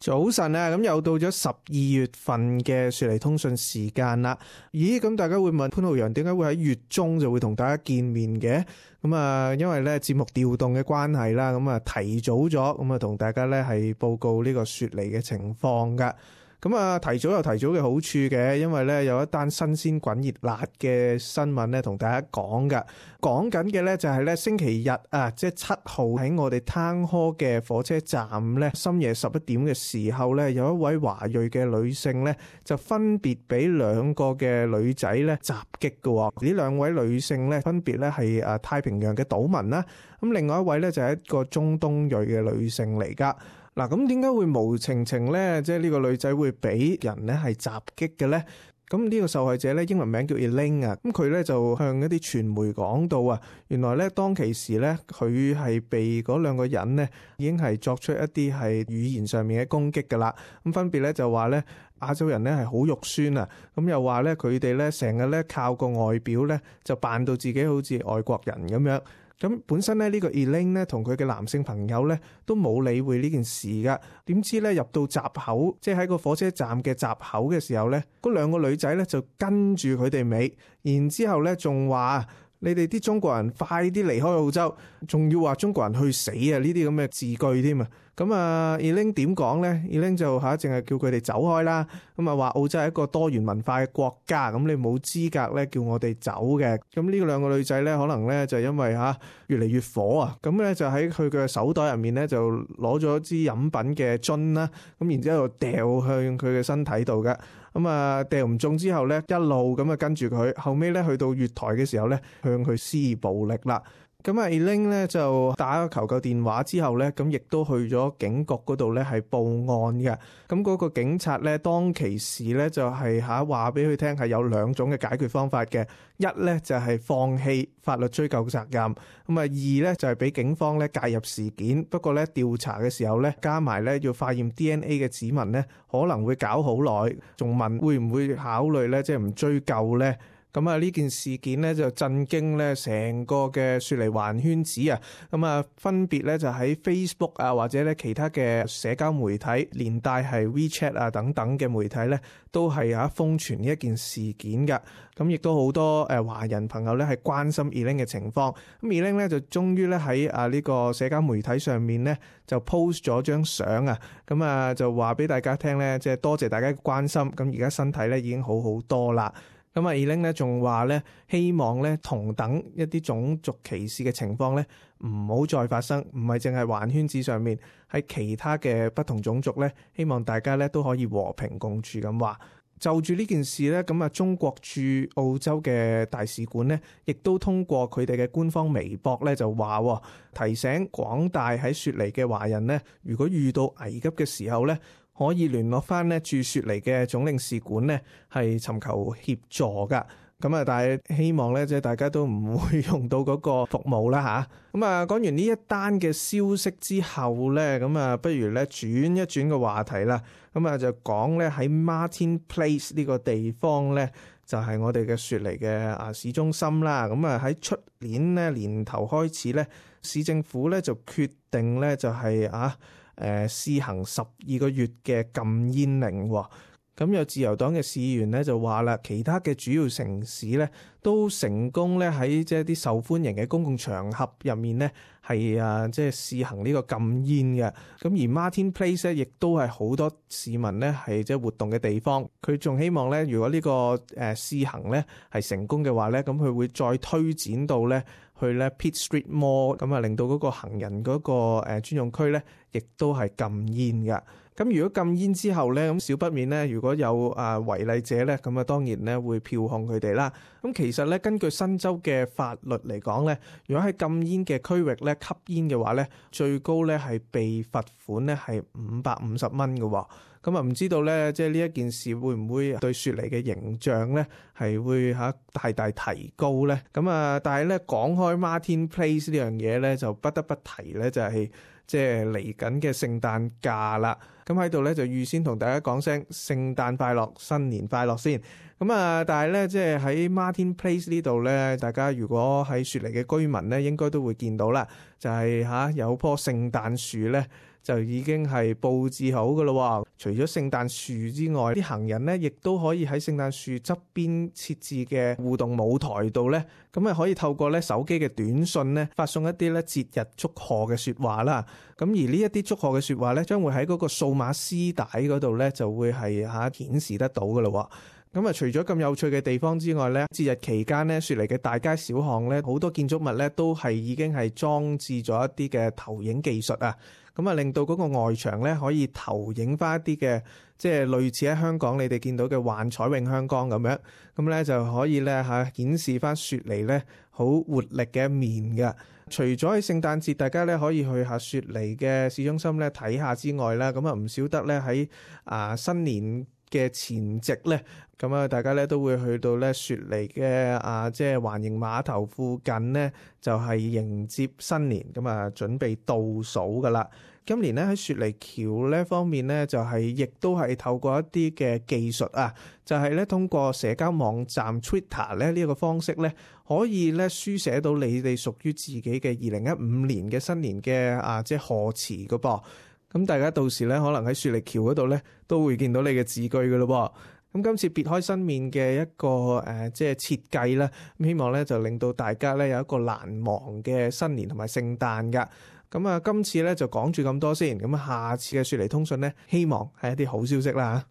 早晨啊，咁又到咗12月份嘅雪梨通訊時間啦。咦，咁大家會問潘浩陽點解會喺月中就會同大家見面嘅？咁啊，因為咧節目調動嘅關係啦，咁啊提早咗，咁啊同大家咧係報告呢個雪梨嘅情況噶。咁啊，提早有提早嘅好處嘅，因為咧有一單新鮮滾熱辣嘅新聞咧，同大家講噶。講緊嘅咧就係咧星期日啊，即係7號喺我哋灘科嘅火車站咧，深夜11點嘅時候咧，有一位華裔嘅女性咧，就分別俾兩個嘅女仔咧襲擊嘅。呢兩位女性咧，分別咧係太平洋嘅島民啦，咁另外一位咧就係一個中東裔嘅女性嚟噶。嗱，咁點解會無情情咧？即係呢個女仔會俾人咧係襲擊嘅咧？咁呢個受害者咧，英文名叫 Elaine 啊，咁佢咧就向一啲傳媒講到啊，原來咧當其時咧，佢係被嗰兩個人咧已經係作出一啲係語言上面嘅攻擊噶啦。咁分別咧就話咧亞洲人咧係好肉酸啊，咁又話咧佢哋咧成日咧靠個外表咧就扮到自己好似外國人咁樣。咁本身咧呢個 Elaine 咧同佢嘅男性朋友咧都冇理會呢件事噶，點知咧入到閘口，即係喺個火車站嘅閘口嘅時候咧，嗰兩個女仔咧就跟住佢哋尾，然之後咧仲話你哋啲中國人快啲離開澳洲，仲要話中國人去死啊！呢啲咁嘅字句添啊！咁啊 Elaine 點講咧 Elaine 就淨係叫佢哋走開啦。咁啊話澳洲係一個多元文化嘅國家，咁你冇資格咧叫我哋走嘅。咁呢兩個女仔咧可能咧就因為越嚟越火啊，咁咧就喺佢嘅手袋入面咧就攞咗支飲品嘅樽啦，咁然之後掉向佢嘅身體度嘅。咁啊掉唔中之後咧，一路咁啊跟住佢，後尾咧去到月台嘅時候咧，向佢施暴力啦。咁啊 Elaine 咧就打咗求救電話之後咧，咁亦都去咗警局嗰度咧係報案嘅。咁嗰個警察咧當其時咧就係話俾佢聽係有兩種嘅解決方法嘅，一咧就係放棄法律追究責任，咁啊二咧就係俾警方咧介入事件。不過咧調查嘅時候咧加埋咧要化驗 DNA 嘅指紋咧可能會搞好耐，仲問會唔會考慮咧即係唔追究咧？咁啊呢件事件咧就震驚咧成個嘅雪梨華人圈子啊！咁啊分別咧就喺 Facebook 啊或者咧其他嘅社交媒體，連帶係 WeChat 啊等等嘅媒體咧，都係瘋傳呢一件事件㗎。咁亦都好多華人朋友咧係關心 Elaine 嘅情況。咁 Elaine 咧就終於咧喺呢個社交媒體上面咧就 post 咗張相啊，咁啊就話俾大家聽咧，即係多謝大家嘅關心。咁而家身體咧已經好好多啦。咁啊 Elaine 咧仲話咧，希望咧同等一啲種族歧視嘅情況咧唔好再發生，唔係淨係華人圈子上面，喺其他嘅不同種族咧，希望大家咧都可以和平共處咁話。就住呢件事咧，咁啊中國駐澳洲嘅大使館咧，亦都通過佢哋嘅官方微博咧就話，提醒廣大喺雪梨嘅華人咧，如果遇到危急嘅時候咧，可以聯絡翻咧駐雪梨嘅總領事館咧，係尋求協助噶。咁啊，但係希望咧，即係大家都唔會用到嗰個服務啦吓。咁啊，講完呢一單嘅消息之後咧，咁啊，不如咧轉一轉個話題啦。咁啊，就講咧喺 Martin Place 呢個地方咧，就係我哋嘅雪梨嘅市中心啦。咁啊，喺出年咧年頭開始咧，市政府咧就決定咧就係試行12個月嘅禁煙令。咁有自由黨嘅市議員咧就話啦，其他嘅主要城市咧都成功咧喺即係啲受歡迎嘅公共場合入面咧係即係試行呢個禁煙嘅。咁而 Martin Place 咧亦都係好多市民咧係即係活動嘅地方。佢仲希望咧，如果呢個試行咧係成功嘅話咧，咁佢會再推展到咧去咧 Pitt Street Mall， 咁啊令到嗰個行人嗰個專用區咧亦都係禁煙嘅。咁如果禁煙之後咧，咁少不免咧，如果有違例者咧，咁啊當然咧會票控佢哋啦。咁其實咧，根據新州嘅法律嚟講咧，如果喺禁煙嘅區域咧吸煙嘅話咧，最高咧係被罰款咧係550蚊嘅。咁啊唔知道咧，即係呢一件事會唔會對雪梨嘅形象咧係會大大提高咧？咁啊，但係咧講開 Martin Place 呢樣嘢咧，就不得不提咧，就係即係嚟緊嘅聖誕假啦。咁喺度咧就預先同大家講聲聖誕快樂、新年快樂先。咁啊，但係咧即係喺 Martin Place 呢度咧，大家如果喺雪梨嘅居民咧，應該都會見到啦，就係有棵聖誕樹咧，就已經係佈置好噶咯。除咗聖誕樹之外，啲行人咧亦都可以喺聖誕樹側邊設置嘅互動舞台度咧，咁啊可以透過咧手機嘅短信咧發送一啲咧節日祝賀嘅說話啦。咁而呢一啲祝賀嘅說話咧，將會喺嗰個數碼絲帶嗰度咧就會係顯示得到噶咯。咁啊，除咗咁有趣嘅地方之外咧，節日期間咧，雪梨嘅大街小巷咧，好多建築物咧都係已經係裝置咗一啲嘅投影技術啊，咁啊令到嗰個外牆咧可以投影翻一啲嘅，即係類似喺香港你哋見到嘅幻彩詠香江咁樣，咁咧就可以咧顯示翻雪梨咧好活力嘅一面嘅。除咗喺聖誕節大家咧可以去下雪梨嘅市中心咧睇下之外啦，咁啊唔少得咧喺新年嘅前夕咧，咁啊大家咧都會去到咧雪梨嘅即係環形碼頭附近咧，就係迎接新年，咁啊準備倒數噶啦。今年咧喺雪梨橋呢方面咧，就係亦都係透過一啲嘅技術啊，就係咧通過社交網站 Twitter 咧呢一個方式咧，可以咧書寫到你哋屬於自己嘅2015年嘅新年嘅即係賀詞噶噃。咁大家到時咧，可能喺雪梨橋嗰度咧，都會見到你嘅字句噶咯。咁今次別開生面嘅一個即係設計啦，咁希望咧就令到大家咧有一個難忘嘅新年同埋聖誕噶。咁啊，今次咧就講住咁多先。咁下次嘅雪梨通訊咧，希望係一啲好消息啦。